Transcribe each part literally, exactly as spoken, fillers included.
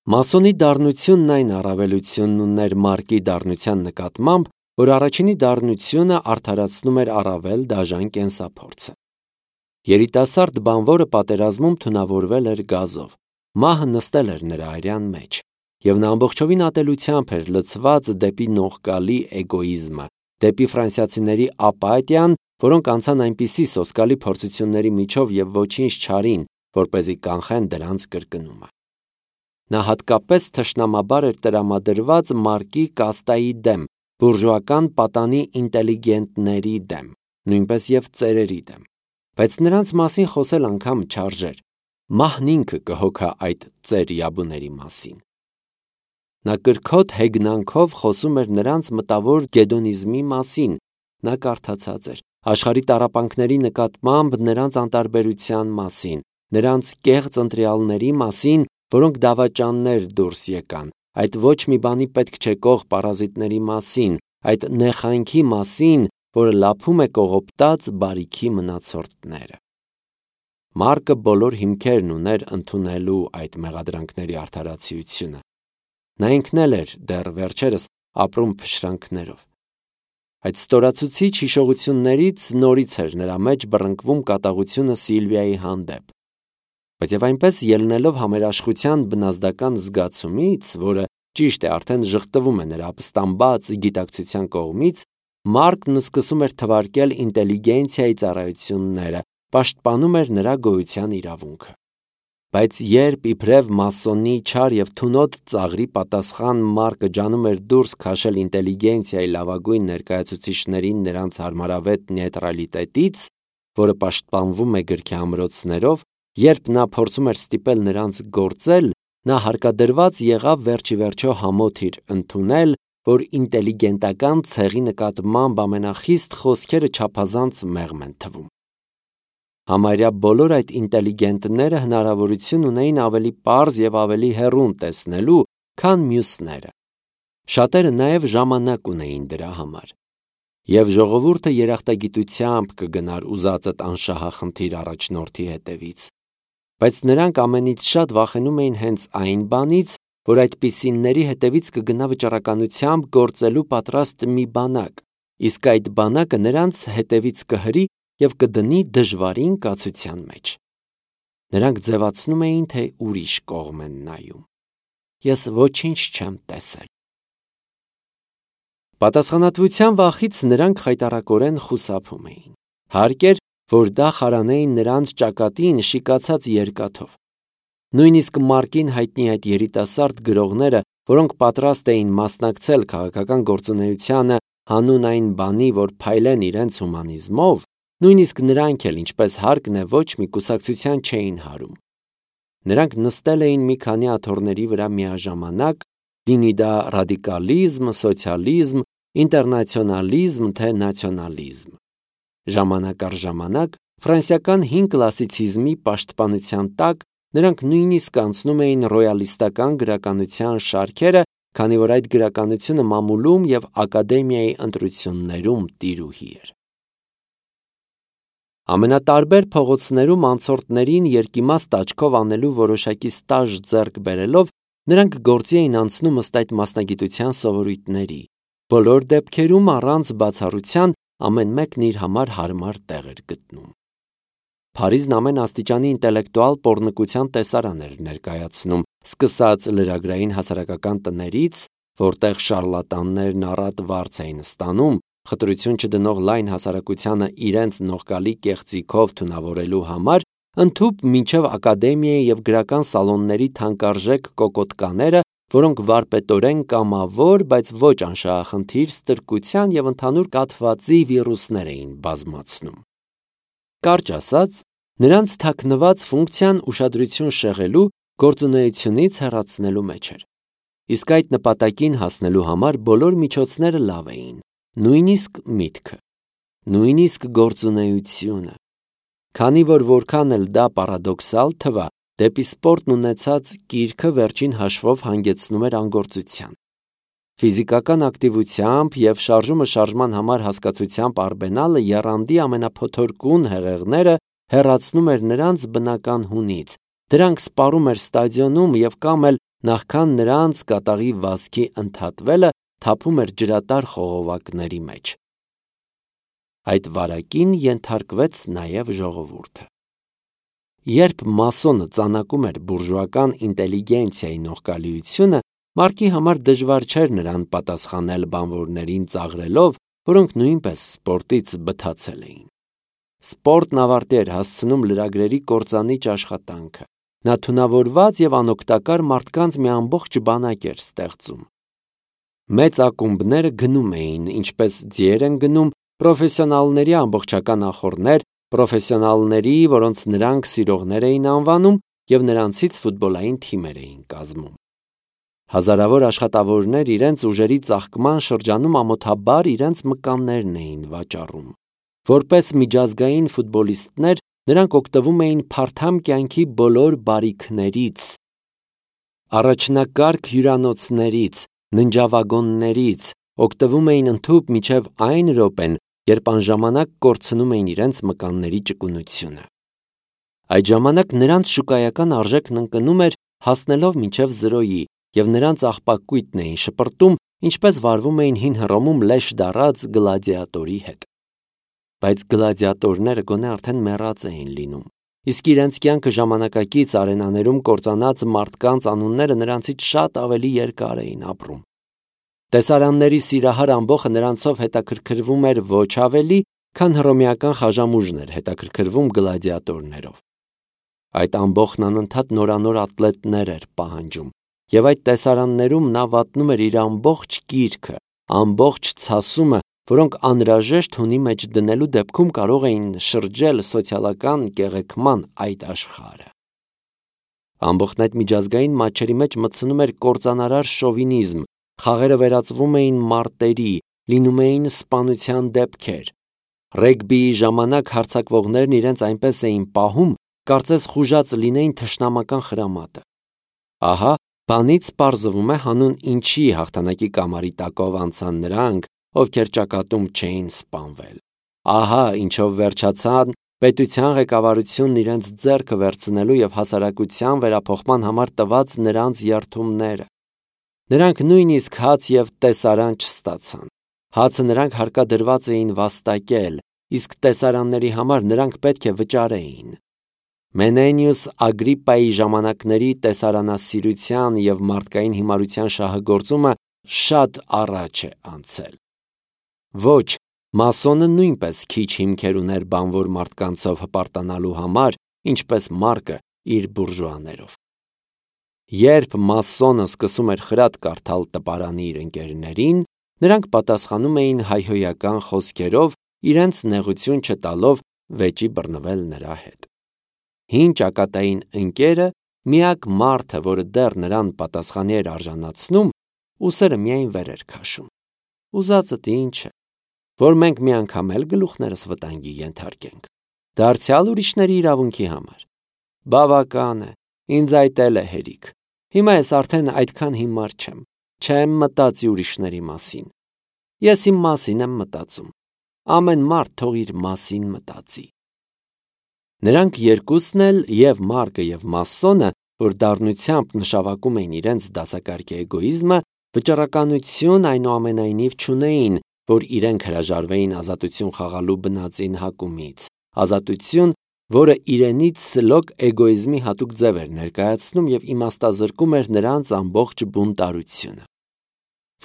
Մասոնի դառնությունն այն առավելությունն ուներ Մարկի դառնության նկատմամբ, որ առաջինի դառնությունը արդարացնում էր առավել դաժան կենսափորձը։ Երիտասարդ բանվորը պատերազմում թունավորվել էր գազով, մահը նստել էր նրա արյան մեջ, և նա ամբողջովին ատելությամբ էր լցված դեպի նողկալի էգոիզմը, դեպի ֆրանսիացիների ապաթիան, որոնք անցան այնպիսի սոսկալի փորձությունների միջով և ոչինչ չարին, որպեսզի կանխեն դրանց կրկնումը։ Նա հատկապես թշնամաբար էր տրամադրված Մարկի կաստայի դեմ, բուրժուական պատանի ինտելիգենտների դեմ, նույնպես և ծերերի դեմ, բայց նրանց մասին խոսել անգամ չարժեր, մահն ինքը կհոգա այդ ծեր-յաբուների մասին։ Նա կրքոտ հեգնանքով խոսում էր նրանց մտավոր գեդոնիզմի մասին, նա կարդացած էր աշխարհի տառապանքների նկատմամբ նրանց անտարբերության մասին, նրանց կեղծ ընտրյալների մասին, որոնք դավաճաններ դուրս եկան, այդ ոչ մի բանի պետք չեկող պարազիտների մասին, այդ նեխանքի մասին, որը լափում է կողոպտած բարիքի մնացորդները։ Մարկը բոլոր հիմքերն ուներ ընդունելու այդ մեղադրանքների արդարացիությունը։ Նա ինքն էլ էր դեռ վերջերս ապրում փշրանքներով։ Այդ ստորացուցիչ հիշողություններից նորից էր նրա մեջ բռնկվում կատաղությունը Սիլվիայի հանդեպ, բայց և այնպես ելնելով համերաշխության բնազդական զգացումից, որը ճիշտ է արդեն ժխտվում է նրա ապստամբած գիտակցության կողմից, Մարկն սկսում էր թվարկել ինտելիգենցիայի ծառայությունները, պաշտպանում էր նրա գոյության իրավունքը։ Բայց երբ իբրև մասոնի չար և թունոտ ծաղրի պատասխան Մարկը ջանում էր դուրս քաշել ինտելիգենցիայի լավագույն ներկայացուցիչներին նրանց հարմարավետ նեյտրալիտետից, որը պաշտպանվում է գրքի ամրոցներով, երբ նա փորձում էր ստիպել նրանց գործել, նա հարկադրված եղավ վերջիվերջո համոթ իր ընդունել, որ ինտելիգենտական ցեղի նկատմամբ ամենախիստ խոսքերը չափազանց մեղմ են թվում։ Համարյա բոլոր այդ ինտելիգենտները հնարավորություն ունեին ավելի պարզ և ավելի հեռուն տեսնելու, քան մյուսները։ Շատերը նաև ժամանակ ունեին դրա համար։ Եվ ժողովուրդը երախտագիտությամբ կգնար ուզածդ անշահախնդիր առաջնորդի հետևից։ Բայց նրանք ամենից շատ վախենում էին հենց այն բանից, որ այդպիսիների հետևից կգնա վճռականությամբ գործելու պատրաստ մի բանակ, իսկ այդ բանակը նրանց հետևից կհրի և կդնի դժվարին կացության մեջ։ Նրանք ձևացնում էին, թե ուրիշ կողմ են նայում։ Ես ոչինչ չեմ տեսել։ Պատասխանատվության վախից նրանք խայտառակորեն խուսափում էին։ Հարկ էր, որ դա խարանեին նրանց ճակատին շիկացած երկաթով։ Նույնիսկ Մարկին հայտնի այդ երիտասարդ գրողները, որոնք պատրաստ էին մասնակցել քաղաքական գործունեությանը հանուն այն բանի, որ փայլեն իրենց հումանիզմով, նույնիսկ նրանք էլ, ինչպես հարկն է, ոչ մի կուսակցության չէին հարում։ Նրանք նստել էին մի քանի աթոռների վրա միաժամանակ, լինի դա ռադիկալիզմ, սոցիալիզմ, ինտերնացիոնալիզմ, թե նացիոնալիզմ։ Ժամանակ առ ժամանակ ֆրանսիական հին կլասիցիզմի պաշտպանության տակ նրանք նույնիսկ անցնում էին ռոյալիստական գրականության շարքերը, քանի որ այդ գրականությունը մամուլում և ակադեմիայի ընտրություններում տիրուհի էր։ Ամենատարբեր փողոցներում անցորդներին երկիմաստ աչքով անելու որոշակի ստաժ ձեռք բերելով, նրանք գործի էին անցնում ըստ այդ մասնագիտության սովորույթների, բոլոր դեպքերում առանց բացառության ամեն մեկն իր համար հարմար տեղ էր գտնում։ Փարիզն ամեն աստիճանի ինտելեկտուալ պոռնկության տեսարան էր ներկայացնում, սկսած լրագրային հասարակական տներից, որտեղ շարլատաններն առատ վարձ էին ստանում, խտրություն չդնող լայն հասարակությանը իրենց նողկալի կեղծիքով թունավորելու համար, ընդհուպ մինչև ակադեմիայի և գրական սալոնների թանկարժեք կոկոտկաները, որոնք վարպետորեն կամավոր, բայց ոչ անշահախնդիր ստրկության և ընդհանուր կաթվածի վիրուսներ էին բազմացնում։ Կարճ ասած, նրանց թաքնված ֆունկցիան ուշադրություն շեղելու, գործունեությունից հեռացնելու մեջ էր։ Իսկ այդ նպատակին հասնելու համար բոլոր միջոցները լավ էին, նույնիսկ միտքը, նույնիսկ գործունեությունը։ Քանի որ որքան էլ դա պարադոքսալ թվա, դեպի սպորտն ունեցած կիրքը վերջին հաշվով հանգեցնում էր անգործության։ Ֆիզիկական ակտիվությամբ և շարժումը շարժման համար հասկացությամբ արբենալը եռանդի ամենափոթորկուն հեղեղները հեռացնում էր նրանց բնական հունից, դրանք սպառում էր ստադիոնում և կամ էլ նախքան նրանց կատաղի վազքի ընդհատվելը թափում էր ջրատար խողովակների մեջ։ Այդ վարակին ենթարկվեց նաև ժողովուրդը։ Երբ մասոնը ծանակում էր բուրժուական ինտելիգենցիայի նողկալիությունը, Մարկի համար դժվար չէր նրան պատասխանել բանվորներին ծաղրելով, որոնք նույնպես սպորտից բթացել էին։ Սպորտն ավարտի էր հասցնում լրագրերի կործանիչ աշխատանքը։ Նա թունավորված և անօգտակար մարդկանց մի ամբողջ բանակ էր ստեղծում։ Մեծ ակումբները գնում էին, ինչպես ձիեր են գնում, պրոֆեսիոնալների ամբողջական ախոռներ, պրոֆեսիոնալների, որոնց նրանք սիրողներ էին անվանում, և նրանցից ֆուտբոլային թիմեր էին կազմում։ Հազարավոր աշխատավորներ իրենց ուժերի ծաղկման շրջանում ամոթաբար իրենց մկաններն էին վաճառում։ Որպես միջազգային ֆուտբոլիստներ նրանք օգտվում էին փարթամ կյանքի բոլոր բարիքներից, առաջնակարգ հյուրանոցներից, ննջավագոններից, օգտվում էին ընդհուպ մինչև այն րոպեն, երբ անժամանակ կորցնում էին իրենց մկանների ճկունությունը։ Այդ ժամանակ նրանց շուկայական արժեքն ընկնում էր հասնելով մինչև զրոյի, և նրանց աղբակույտն էին շպրտում, ինչպես վարվում էին հին Հռոմում լեշ դառած գլադիատորի հետ։ Բայց գլադիատորները գոնե արդեն մեռած էին լինում, իսկ իրենց կյանքը ժամանակակից արենաներում կործանած մարդկանց անունները նրանցից շատ ավելի երկար էին ապրում։ Տեսարանների սիրահար ամբոխը նրանցով հետաքրքրվում էր ոչ ավելի, քան հռոմեական խաժամուժն էր հետաքրքրվում գլադիատորներով։ Այդ ամբոխն անընդհատ նորանոր ատլետներ էր պահանջում, և այդ տեսարաններում նա վատնում էր իր ամբողջ կիրքը, ամբողջ ցասումը, որոնք անհրաժեշտ հունի մեջ դնելու դեպքում կարող էին շրջել սոցիալական կեղեքման այդ աշխարհը։ Ամբոխն այդ միջազգային մատչերի մեջ մտցնում էր կործանարար շովինիզմ, խաղերը վերածվում էին մարտերի, լինում էին սպանության դեպքեր։ Ռեգբիի ժամանակ հարձակվողներն իրենց այնպես էին պահում, կարծես խուժած լինեին թշնամական խրամատը։ Ահա, բանից պարզվում է հանուն ինչի հաղթանակի կամարի տակով անցան նրանք, ովքեր ճակատում չէին սպանվել։ Ահա, ինչով վերջացան պետության ղեկավարությունն իրենց ձեռքը վերցնելու և հասարակության վերափոխման համար տված նրանց երդումները։ Նրանք նույնիսկ հաց և տեսարան չստացան։ Հացը նրանք հարկադրված էին վաստակել, իսկ տեսարանների համար նրանք պետք է վճարեին։ Մենենիուս Ագրիպպայի ժամանակների տեսարանասիրության և մարդկային հիմարության շահագործումը շատ առաջ է անցել։ Ոչ, մասոնը նույնպես քիչ հիմքեր ուներ բանվոր մարդկանցով հպարտանալու համար, ինչպես Մարկը իր բուրժուաներով։ Երբ մասոնը սկսում էր խրատ կարդալ տպարանի իր ընկերներին, նրանք պատասխանում էին հայհոյական խոսքերով, իրենց նեղություն չտալով վեճի բռնվել նրա հետ։ Հին ճակատային ընկերը, միակ մարդը, որը դեռ նրան պատասխանի էր արժանացնում, ուսերը միայն վեր էր քաշում։ Ուզածդ ինչ է, որ մենք մի անգամ էլ գլուխներս վտանգի ենթարկենք, դարձյալ ուրիշների իրավունքի համար։ Բավական է, ինձ այդ էլ է հերիք։ Հիմա ես արդեն այդքան հիմար չեմ, չեմ մտածի ուրիշների մասին։ Ես իմ մասին եմ մտածում։ Ամեն մարդ թող իր մասին մտածի։ Նրանք երկուսն էլ, և Մարկը և մասոնը, որ դառնությամբ նշավակում էին իրենց դասակարգի էգոիզմը, վճռականություն այնուամենայնիվ չունեին, որ իրենք հրաժարվեին ազատություն խաղալու բնածին հակումից, ազատություն, որը իրենից սլոկ էգոիզմի հատուկ ձև էր ներկայացնում և իմաստազրկում էր նրանց ամբողջ բունտարությունը։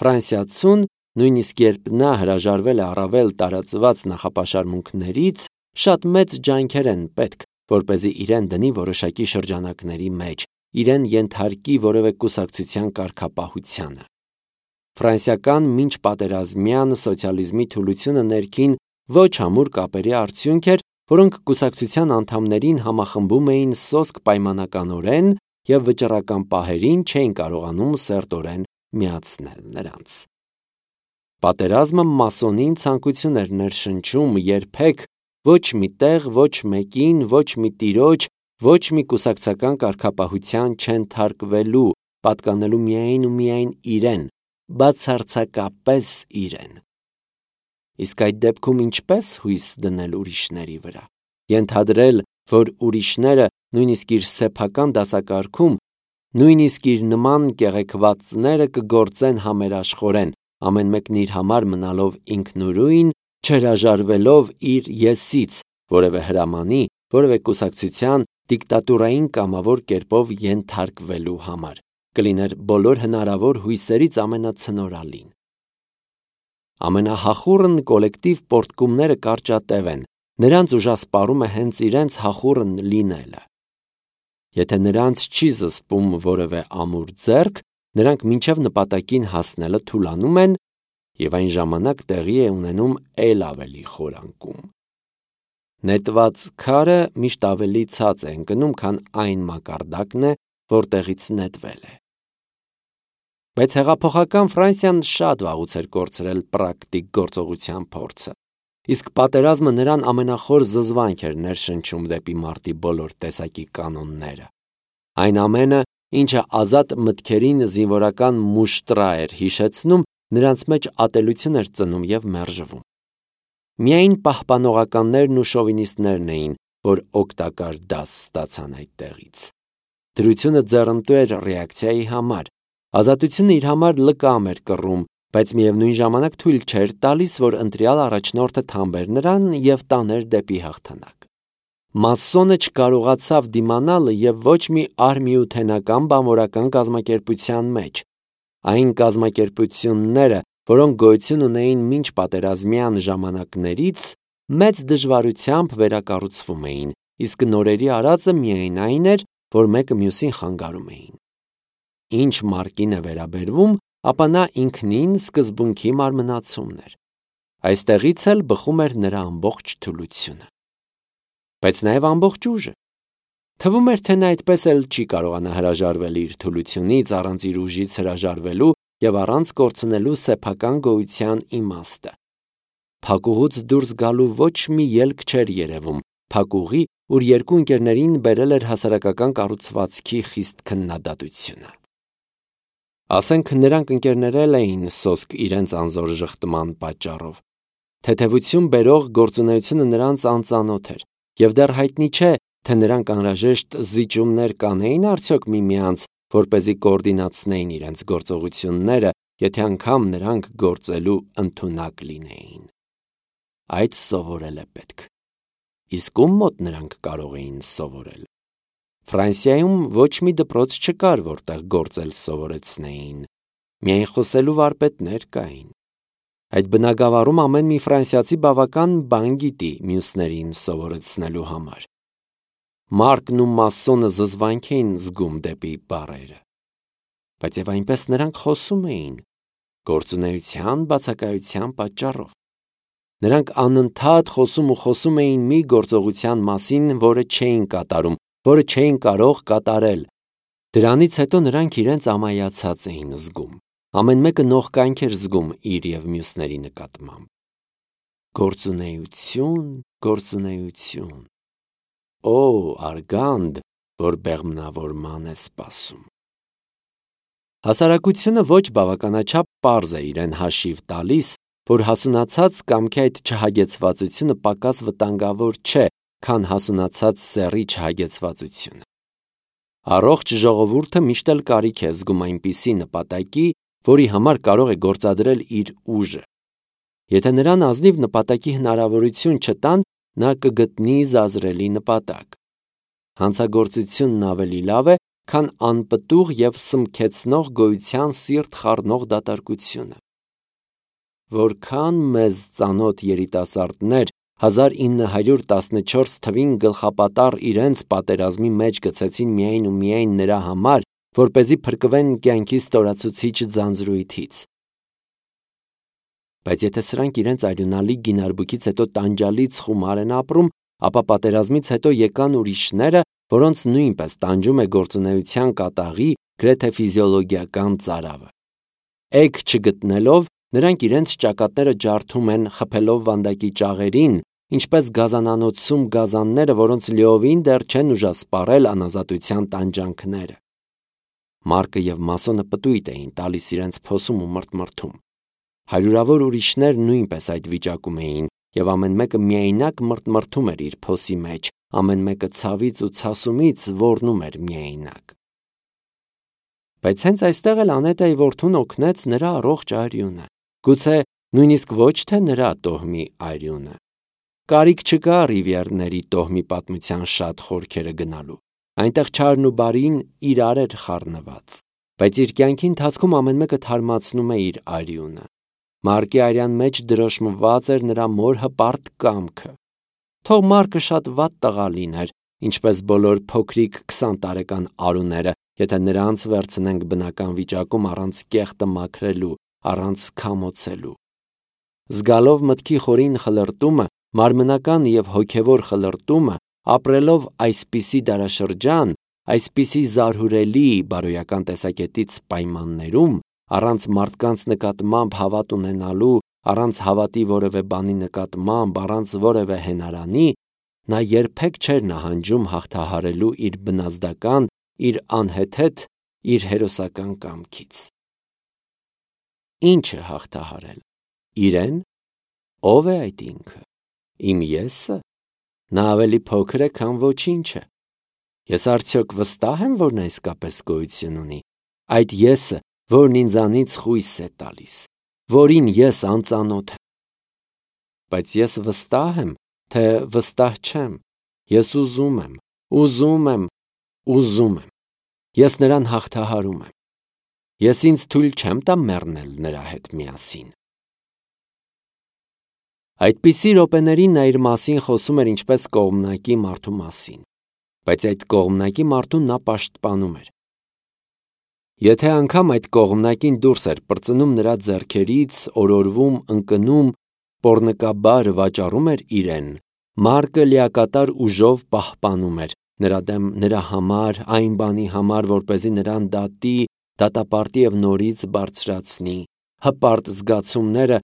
Ֆրանսիացուն, նույնիսկ երբ նա հրաժարվել է առավել տարածված նախապաշարմունքներից, շատ մեծ ջանքեր են պետք, որպեսզի իրեն դնի որոշակի շրջանակների մեջ, իրեն ենթարկի որևէ կուսակցության կարգապահությանը։ Ֆրանսիական մինչպատերազմյան սոցիալիզմի թուլությունը ներքին ոչ ամուր կապերի արդյունք էր, որոնք կուսակցության անդամներին համախմբում էին սոսկ պայմանականորեն և վճռական պահերին չէին կարողանում սերտորեն միացնել նրանց։ Պատերազմը մասոնին ցանկություն էր ներշնչում երբեք ոչ մի տեղ, ոչ մեկին, ոչ մի տիրոջ, ոչ մի կուսակցական կարգապահության չենթարկվելու, պատկանելու միայն ու միայն իրեն, բացարձակապես իրեն։ Իսկ այդ դեպքում ինչպես հույս դնել ուրիշների վրա, ենթադրել, որ ուրիշները, նույնիսկ իր սեփական դասակարգում, Նույնիսկ իր նման կեղեքվածները կգործեն համերաշխորեն, ամեն մեկն իր համար մնալով ինքնուրույն, չհրաժարվելով իր եսից, որևէ հրամանի, որևէ կուսակցության, դիկտատուրային կամավոր կերպով ենթարկվելու համար, կլիներ բոլոր հնարավոր հույսերից ամենացնորալին։ Ամենահախուռն կոլեկտիվ պոռթկումները կարճատև են, նրանց ուժասպառում է հենց իրենց հախուռն լինելը։ Եթե նրանց չի զսպում որևէ ամուր ձեռք, նրանք մինչև նպատակին հասնելը թուլանում են և այն ժամանակ տեղի է ունենում էլ ավելի խորանկում։ Նետված քարը միշտ ավելի ցած է ընկնում, քան այն մակարդակն է, որտեղից նետվել է։ Բայց հեղափոխական Ֆրանսիան շատ վաղուց էր կորցրել պրակտիկ գործողության փորձը, իսկ պատերազմը նրան ամենախոր զզվանք էր ներշնչում դեպի մարտի բոլոր տեսակի կանոնները։ Այն ամենը, ինչը ազատ մտքերին զինվորական մուշտրա էր հիշեցնում, նրանց մեջ ատելություն էր ծնում և մերժվում։ Միայն պահպանողականներն ու շովինիստներն էին, որ օգտակար դաս ստացան այդտեղից։ Դրությունը ձեռնտու էր ռեակցիայի համար, ազատությունը իր համար լկամ էր կռում, բայց միևնույն ժամանակ թույլ չէր տալիս, որ ընտրյալ առաջնորդը թամբեր նրան և տաներ դեպի հաղթանակ։ Մասսոնը չկարողացավ դիմանալ և ոչ մի արհմիութենական բանվորական կազմակերպության մեջ։ Այն կազմակերպությունները, որոնք գոյություն ունեին մինչ պատերազմյան ժամանակներից, մեծ դժվարությամբ վերակառուցվում էին, իսկ նորերի արածը միայն այն էր, որ մեկը մյուսին խանգարում էին։ Ինչ Մարկին է վերաբերվում, ապա նա ինքնին սկզբունքի մարմնացումն էր։ Այստեղից էլ բխում էր նրա ամբողջ թուլությունը։ Բայց նաև ամբողջ ուժը։ Թվում էր, թե նա այդպես էլ չի կարողանա հրաժարվել իր թուլությունից, առանց իր ուժից հրաժարվելու և առանց կորցնելու սեփական գոյության իմաստը։ Փակուղուց դուրս գալու ոչ մի ելք չէր երևում, փակուղի, ուր երկու ընկերներին բերել էր հասարակական կառուցվածքի խիստ քննադատությունը։ Ասենք նրանք ընկերներել էին սոսկ իրենց անզոր ժխտման պատճառով։ Թեթևություն բերող գործունեությունը նրանց անծանոթ էր, և դեռ հայտնի չէ, թե նրանք անհրաժեշտ զիջումներ կանեին արդյոք միմյանց, որպեսզի կոորդինացնեին իրենց գործողությունները, եթե անգամ նրանք գործելու ընդունակ լինեին։ Այդ սովորել է պետք։ Իսկ ում մոտ նրանք կարող էին սովորել։ Ֆրանսիայում ոչ մի դպրոց չկար, որտեղ գործել սովորեցնեին։ Միայն խոսելու վարպետներ կային։ Այդ բնագավառում ամեն մի ֆրանսիացի բավական բան գիտի մյուսներին սովորեցնելու համար։ Մարկն ու Մասսոնը զզվանք էին զգում դեպի բառերը։ Բայց և այնպես նրանք խոսում էին, գործունեության բացակայության պատճառով։ Նրանք անընդհատ խոսում ու խոսում էին մի գործողության մասին, որը չէին կատարում, որը չէին կարող կատարել։ Դրանից հետո նրանք իրենց ամայացած էին զգում։ Ամեն մեկը նողկանք էր զգում իր և մյուսների նկատմամբ։ Գործունեություն, գործունեություն։ Օ, արգանդ, որ բեղմնավորման է սպասում։ Հասարակությունը ոչ բավականաչափ պարզ է իրեն հաշիվ տալիս, որ հասունացած կամքի այդ չհագեցվածությունը պակաս վտանգավոր չէ, քան հասունացած սեռի չհագեցվածությունը։ Առողջ ժողովուրդը միշտ էլ կարիք է զգում այնպիսի նպատակի, որի համար կարող է գործադրել իր ուժը։ Եթե նրան ազնիվ նպատակի հնարավորություն չտան, նա կգտնի զազրելի նպատակ։ Հանցագործությունն ավելի լավ է, քան անպտուղ և սմքեցնող գոյության սիրտ խառնող դատարկությունը։ Որքան մեզ ծանոթ երիտասարդներ հազար ինը հարյուր տասնչորս թվին գլխապատառ իրենց պատերազմի մեջ գցեցին միայն ու միայն նրա համար, որպեսզի փրկվեն կյանքի ստորացուցիչ ձանձրույթից։ Բայց եթե սրանք իրենց արյունալի գինարբուքից հետո տանջալից խումար են ապրում, ապա պատերազմից հետո եկան ուրիշները, որոնց նույնպես տանջում է գործունեության կատաղի, գրեթե ֆիզիոլոգիական ծարավը։ Էգ չգտնելով, նրանք իրենց ճակատները ջարդում են, խփելով վանդակի ճաղերին, ինչպես գազանանոցում գազանները, որոնց լիովին դեռ չեն ուժասպառել անազատության տանջանքները։ Մարկը և Մասսոնը պտույտ էին տալիս իրենց փոսում ու մրթմրթում։ Հարյուրավոր ուրիշներ նույնպես այդ վիճակում էին, և ամեն մեկը միայնակ մրթմրթում էր իր փոսի մեջ, ամեն մեկը ցավից ու ցասումից ոռնում էր միայնակ։ Բայց հենց այստեղ էլ Անետայի որդուն օգնեց նրա առողջ արյունը, գուցե նույնիսկ ոչ թե նրա տոհմի արյունը։ Կարիք չկա Ռիվիերների տոհմի պատմության շատ խորքերը գնալու։ Այնտեղ չարն ու բարին իրար էր խառնված, բայց իր կյանքի ընթացքում ամեն մեկը թարմացնում է իր արյունը։ Մարկի արյան մեջ դրոշմված էր նրա մոր հպարտ կամքը։ Թող Մարկը շատ վատ տղա լիներ, ինչպես բոլոր փոքրիկ քսան տարեկան արուները, եթե նրանց վերցնենք բնական վիճակում առանց կեղտը մաքրելու, առանց քամոցելու։ Զգալով մտքի խորին խլրտումը, մարմնական և հոգևոր խլրտումը, ապրելով այսպիսի դարաշրջան, այսպիսի զարհուրելի բարոյական տեսակետից պայմաններում, առանց մարդկանց նկատմամբ հավատ ունենալու, առանց հավատի որևէ բանի նկատմամբ, առանց որևէ հենարանի, նա երբեք չէր նահանջում հաղթահարելու իր բնազդական, իր անհեթեթ, իր հերոսական կամքից։ Ինչ է հաղթահարել։ Իրեն։ Ո՞վ է այդ ինքը։ Իմ եսը։ Նա ավելի փոքր է, քան ոչինչը։ Ես արդյոք վստահ եմ, որ նա իսկապես գոյություն ունի։ Այդ եսը, որն ինձանից խույս է տալիս, որին ես անծանոթ եմ։ Բայց ես վստահ եմ, թե վստահ չեմ։ Ես ուզում եմ, ուզում եմ, ուզում եմ։ Ես նրան հաղթահարում եմ։ Ես ինձ թույլ չեմ տա մեռնել նրա հետ միասին։ Այդպիսի րոպեներին նա իր մասին խոսում էր ինչպես կողմնակի մարդու մասին, բայց այդ կողմնակի մարդուն նա պաշտպանում էր։ Եթե անգամ այդ կողմնակին դուրս էր պրծնում նրա ձեռքերից, օրորվում, ընկնում, պոռնկաբար վաճառում էր իրեն, Մարկը լիակատար ուժով պահպանում էր նրա դեմ նրա համար, այն բանի համար, որպեսզի նրան դատի, դատապարտի և նորից բարձրացնի, հպարտ զգացումները,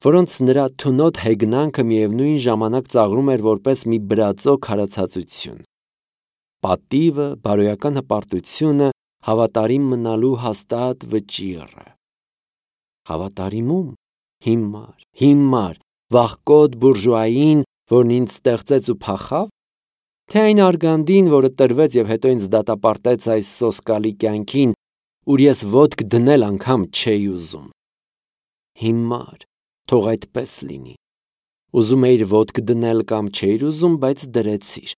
որոնց նրա թունոտ հեգնանքը միևնույն ժամանակ ծաղրում էր որպես մի բրածո քարացածություն։ Պատիվը, բարոյական հպարտությունը, հավատարիմ մնալու հաստատ վճիռը։ Հավատարիմում, հիմար, հիմար, վախկոտ բուրժուային, որն ինձ ստեղծեց ու փախավ, թե այն արգանդին, որը տրվեց և հետո ինձ դատապարտեց այս սոսկալի կյանքին, ուր ես ոտք դնել անգամ չէի ուզում։ Հիմար, թող այդպես լինի։ Ուզում էիր ոտք դնել կամ չէիր ուզում, բայց դրեցիր։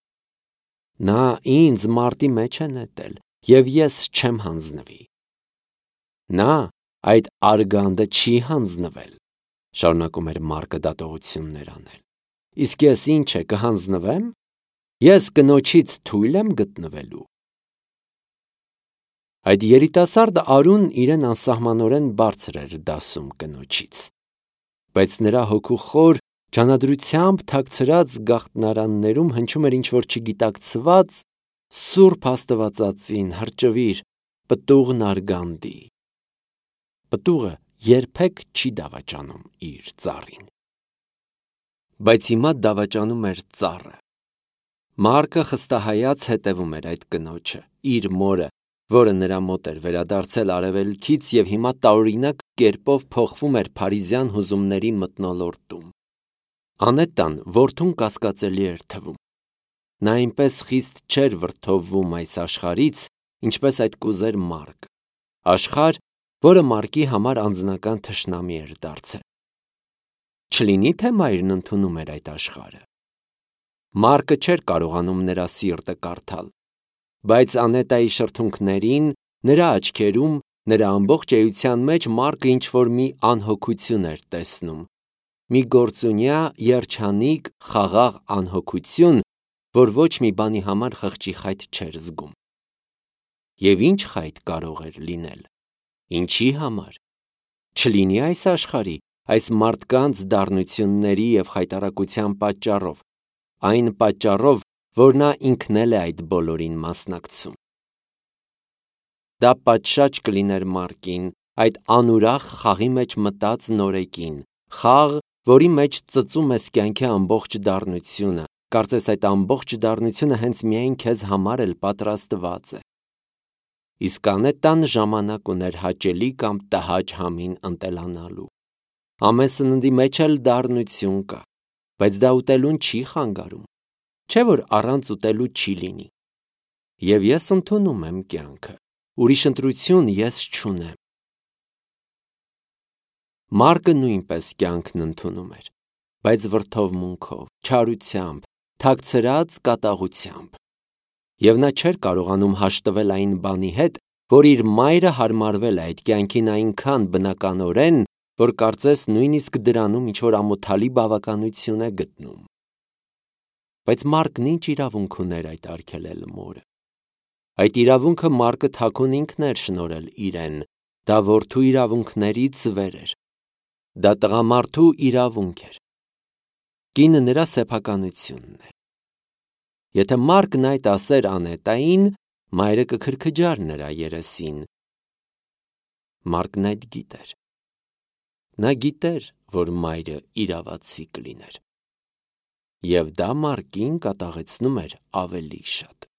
Նա ինձ մարտի մեջ է նետել, և ես չեմ հանձնվի։ Նա այդ արգանդը չի հանձնվել, շարունակում էր Մարկը դատողություններ անել։ Իսկ ես ինչ է, կհանձնվեմ։ Ես կնոջից թույլ եմ գտնվելու։ Այդ երիտասարդ արուն իրեն անսահմանորեն բարձր էր դասում կնոջից, բայց նրա հոգու խոր, ջանադրությամբ թաքցրած գաղտնարաններում հնչում էր ինչ-որ չգիտակցված սուրբ աստվածածին, հրճվիր, պտուղն արգանդի։ Պտուղը երբեք չի դավաճանում իր ծառին։ Բայց հիմա դավաճանում էր ծառը։ Մարկը խստահայաց հետևում էր այդ կնոջը, իր մորը, որը նրա մոտ էր վերադարձել արևելքից և հիմա տարօրինակ կերպով փոխվում էր փարիզյան հուզումների մթնոլորտում։ Անետան որդուն կասկածելի էր թվում։ Նա այնպես խիստ չէր վրդովվում այս աշխարհից, ինչպես այդ կուզեր Մարկը, աշխարհ, որը Մարկի համար անձնական թշնամի էր դարձել։ Չլինի թե մայրն ընդունում էր այդ աշխարհը։ Մարկը չէր կարողանում նրա սիրտը կարդալ, բայց Անետայի շրթունքներին, նրա աչքերում, նրա ամբողջ էության մեջ Մարկը ինչ-որ մի անհոգություն էր տեսնում, մի գործունյա, երջանիկ, խաղաղ անհոգություն, որ ոչ մի բանի համար խղճի խայտ չէր զգում։ Եվ ինչ խայտ կարող էր լինել։ Ինչի համար։ Չլինի այս աշխարհի, այս մարդկանց դառնությունների և խայտառակության պատճառով, այն պատճառով, որ նա ինքն էլ է այդ բոլորին մասնակցում։ Դա պատշաճ կլիներ Մարկին, այդ անուրախ խաղի մեջ մտած նորեկին, խաղ, որի մեջ ծծում ես կյանքի ամբողջ դառնությունը, կարծես այդ ամբողջ դառնությունը հենց միայն քեզ համար էլ պատրաստված է։ Իսկ Անետան ժամանակ ուներ հաճելի կամ տհաճ համին ընտելանալու։ Ամեն սննդի մեջ էլ դառնություն կա, բայց դա ուտելուն չի խանգարում, չէ՞ որ առանց ուտելու չի լինի։ Եվ ես ընդունում եմ կյանքը, Ուրիշ ընտրություն ես չունեմ։ Մարկը նույնպես կյանքն ընդունում էր, բայց վրդովմունքով, չարությամբ, թաքցրած կատաղությամբ։ Եվ նա չէր կարողանում հաշտվել այն բանի հետ, որ իր մայրը հարմարվել է այդ կյանքին այնքան բնականորեն, որ կարծես նույնիսկ դրանում ինչ-որ ամոթալի բավականություն է գտնում։ Բայց Մարկն ինչ իրավունք ուներ այդ արգելել մորը։ Այդ իրավունքը Մարկը թաքուն ինքն էր շնորհել իրեն, դա որդու իրավունքներից վեր էր։ Դա տղամարդու իրավունք էր։ Կինը նրա սեփականությունն էր։ Եթե Մարկն այդ ասեր Անետային, մայրը կքրքջար նրա երեսին։ Մարկն այդ գիտեր։ Նա գիտեր, որ մայրը իրավացի կլիներ։ Եվ դա Մարկին կատաղեցնում էր ավելի շատ։